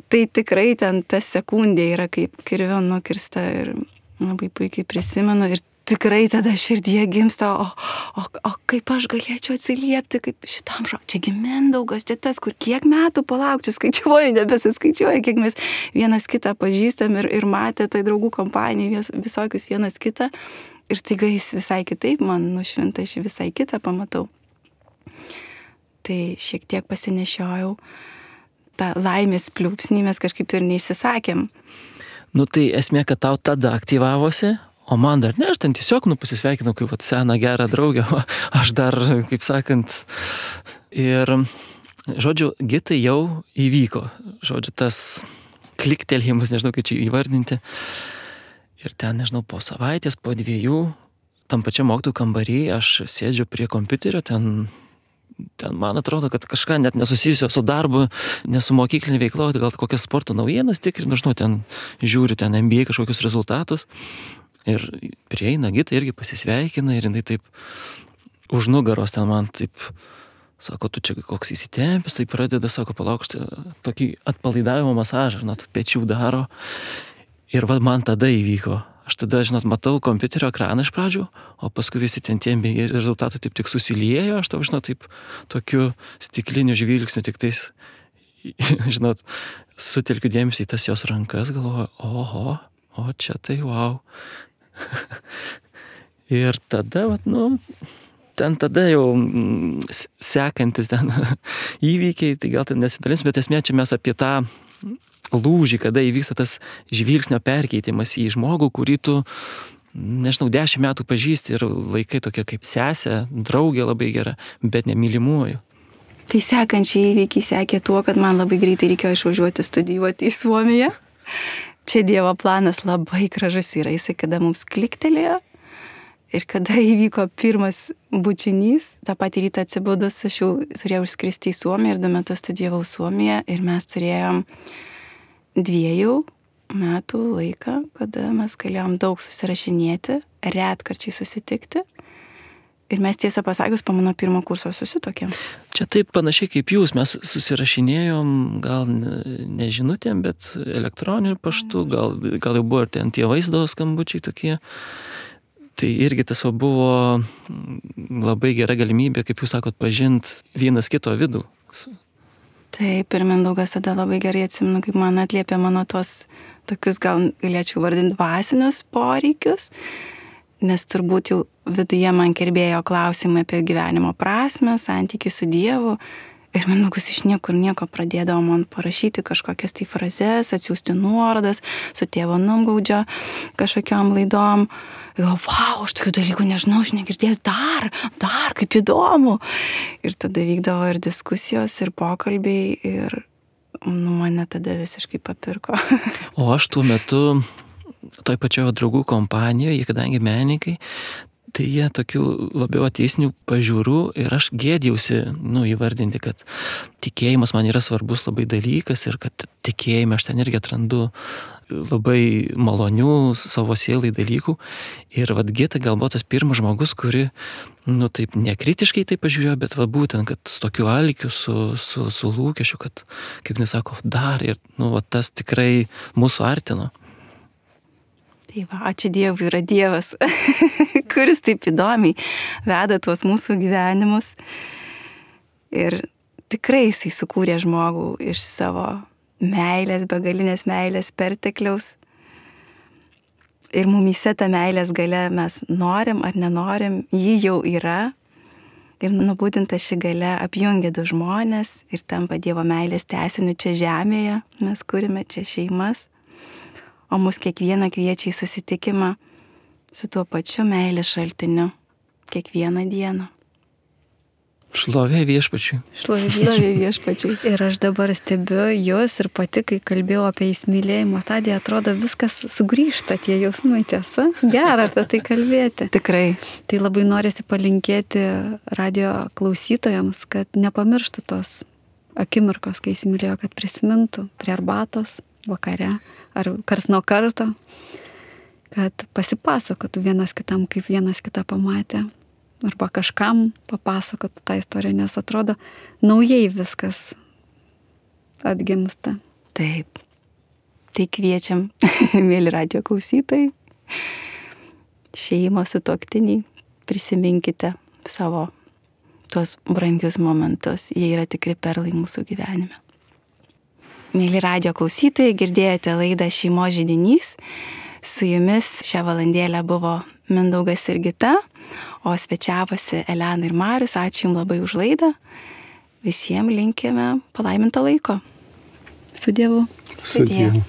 tikrai ten ta sekundė yra kaip kirvio nukirsta ir labai puikiai prisimenu ir tikrai tada širdyje gimsta, o kaip aš galėčiau atsiliepti, kaip šitam čiagi Mindaugas, čia tas, kur kiek metų palauk, čia skaičiuoju, nebesiskaičiuoju, kiek mes vienas kitą pažįstam ir matė tai draugų kompanijai visokius vienas kitą ir taiga jis visai kitaip, man nušvinta, aš visai kitą pamatau. Tai šiek tiek pasinešiojau tą laimės pliūpsnį, mes kažkaip ir neišsisakėm. Tai esmė, kad tau tada aktyvavosi, o man dar ne, aš ten tiesiog pasisveikinau kaip seną gerą draugę, aš dar, kaip sakant, ir, žodžiu, Gitai jau įvyko, žodžiu, tas kliktelėjimas, nežinau, kaip čia įvardinti, ir ten, nežinau, po savaitės, po 2, tam pačiam mokytojų kambarį, aš sėdžiu prie kompiuterio, ten man atrodo, kad kažką net nesusijusio su darbu, nesu mokyklinė veikla, gal kokias sporto naujienas tikrinu, žinau, ten žiūriu ten NBA kažkokius rezultatus ir prieina Gita irgi pasisveikina ir jinai taip už nugaros ten man taip sako, tu čia koks įsitempęs, tai pradeda, sako, palaukšti tokį atpalaidavimo masažą, pečių daro ir man tada įvyko. Aš tada, matau kompiuterio ekraną iš pradžių, o paskui visi ten tie rezultatai taip tik susiliejo, aš tau, taip tokiu stikliniu žvilgsniu tik tais, sutelkiu dėmesį į tas jos rankas, galvoju, o čia tai wow. Ir tada, ten tada jau sekantis ten įvykiai, tai gal ten nesidalins, bet esmė čia mes apie tą lūžį, kada įvyksta tas žvilgsnio perkeitimas į žmogų, kurį tu, nežinau, 10 metų pažįsti ir laikai tokia kaip sesė, draugė labai gera, bet nemylimuoju. Tai sekančiai įvykiai sekė tuo, kad man labai greitai reikėjo išvažiuoti studijuoti į Suomiją. Čia Dievo planas labai gražus yra, jisai kada mums kliktelėjo ir kada įvyko pirmas bučinys, tą patį rytą atsibudus, aš jau turėjau išskristi į Suomiją ir 2 metus studijavau Suomiją ir mes turėjom 2 metų laiką, kada mes galėjom daug susirašinėti, retkarčiai susitikti. Ir mes tiesą pasakius po mano 1 kurso susitokėm. Čia taip panašiai kaip jūs, mes susirašinėjom gal ne žinutėm, bet elektroniniu paštu, gal jau buvo ir ten tie vaizdo skambučiai tokie. Tai irgi tas buvo labai gera galimybė, kaip jūs sakot, pažint vienas kito vidų. Taip, ir Mindaugas tada labai gerai atsimenu, kaip man atliepė mano tos tokius, gal galėčiau vardinti, dvasinius poreikius. Nes turbūt jau viduje man kirbėjo klausimai apie gyvenimo prasmę, santykį su Dievu. Ir Mindaugas iš niekur nieko pradėdavo man parašyti kažkokias tai frazes, atsiųsti nuorodas su tėvo Numgaudžio kažkokiom laidom. Ir wow, aš tokių dalykų nežinau, aš negirdėjau, dar, kaip įdomu. Ir tada vykdavo ir diskusijos, ir pokalbiai, ir mane tada visiškai papirko. O aš tuo metu toj pačioje draugų kompanijoje, kadangi menininkai, tai jie tokių labiau ateistinių pažiūrų ir aš gėdijausi, įvardinti, kad tikėjimas man yra svarbus labai dalykas ir kad tikėjime aš ten irgi atrandu labai malonių savo sielai dalykų. Ir Gėtė gal buvo tas pirmas žmogus, kuri, taip nekritiškai tai pažiūrėjo, bet būtent, kad su tokiu alkiu, su lūkesčiu, kad, kaip nesako, dar ir, tas tikrai mūsų artino. Tai ačiū Dievui, yra Dievas, kuris taip įdomiai veda tuos mūsų gyvenimus. Ir tikrai jisai sukūrė žmogų iš savo meilės, begalinės meilės pertekliaus. Ir mumyse ta meilės galia mes norim ar nenorim, ji jau yra. Ir būtent ši galia apjungia 2 žmonės ir tampa Dievo meilės tęsiniu čia žemėje. Mes kūrime čia šeimas. O mus kiekvieną kviečia į susitikimą su tuo pačiu meilės šaltiniu kiekvieną dieną. Šlovė Viešpačiui. Šlovė Viešpačiui. Ir aš dabar stebiu jūs ir pati, kai kalbėjau apie įsimylėjimo stadiją, atrodo viskas sugrįžta, tie jausmai, tiesa. Gera apie tai kalbėti. Tikrai. Tai labai norisi palinkėti radio klausytojams, kad nepamirštų tos akimirkos, kai įsimylėjo, kad prisimintų prie arbatos, vakare ar kars nuo karto, kad pasipasakotų vienas kitam, kaip vienas kitą pamatė. Arba kažkam papasakotų tą istoriją, nes atrodo naujai viskas atgimsta. Taip. Tai kviečiam, mėly radio klausytojai, šeimos sutuoktiniai, prisiminkite savo tuos brangius momentus. Jie yra tikri perlai mūsų gyvenime. Mėly radio klausytojai, girdėjote laidą Šeimos židinys. Su jumis šią valandėlę buvo Mindaugas ir Gita, o svečiavosi Elena ir Marius. Ačiū Jums labai už laidą. Visiems linkime palaiminto laiko. Su Dievu. Su Dievu.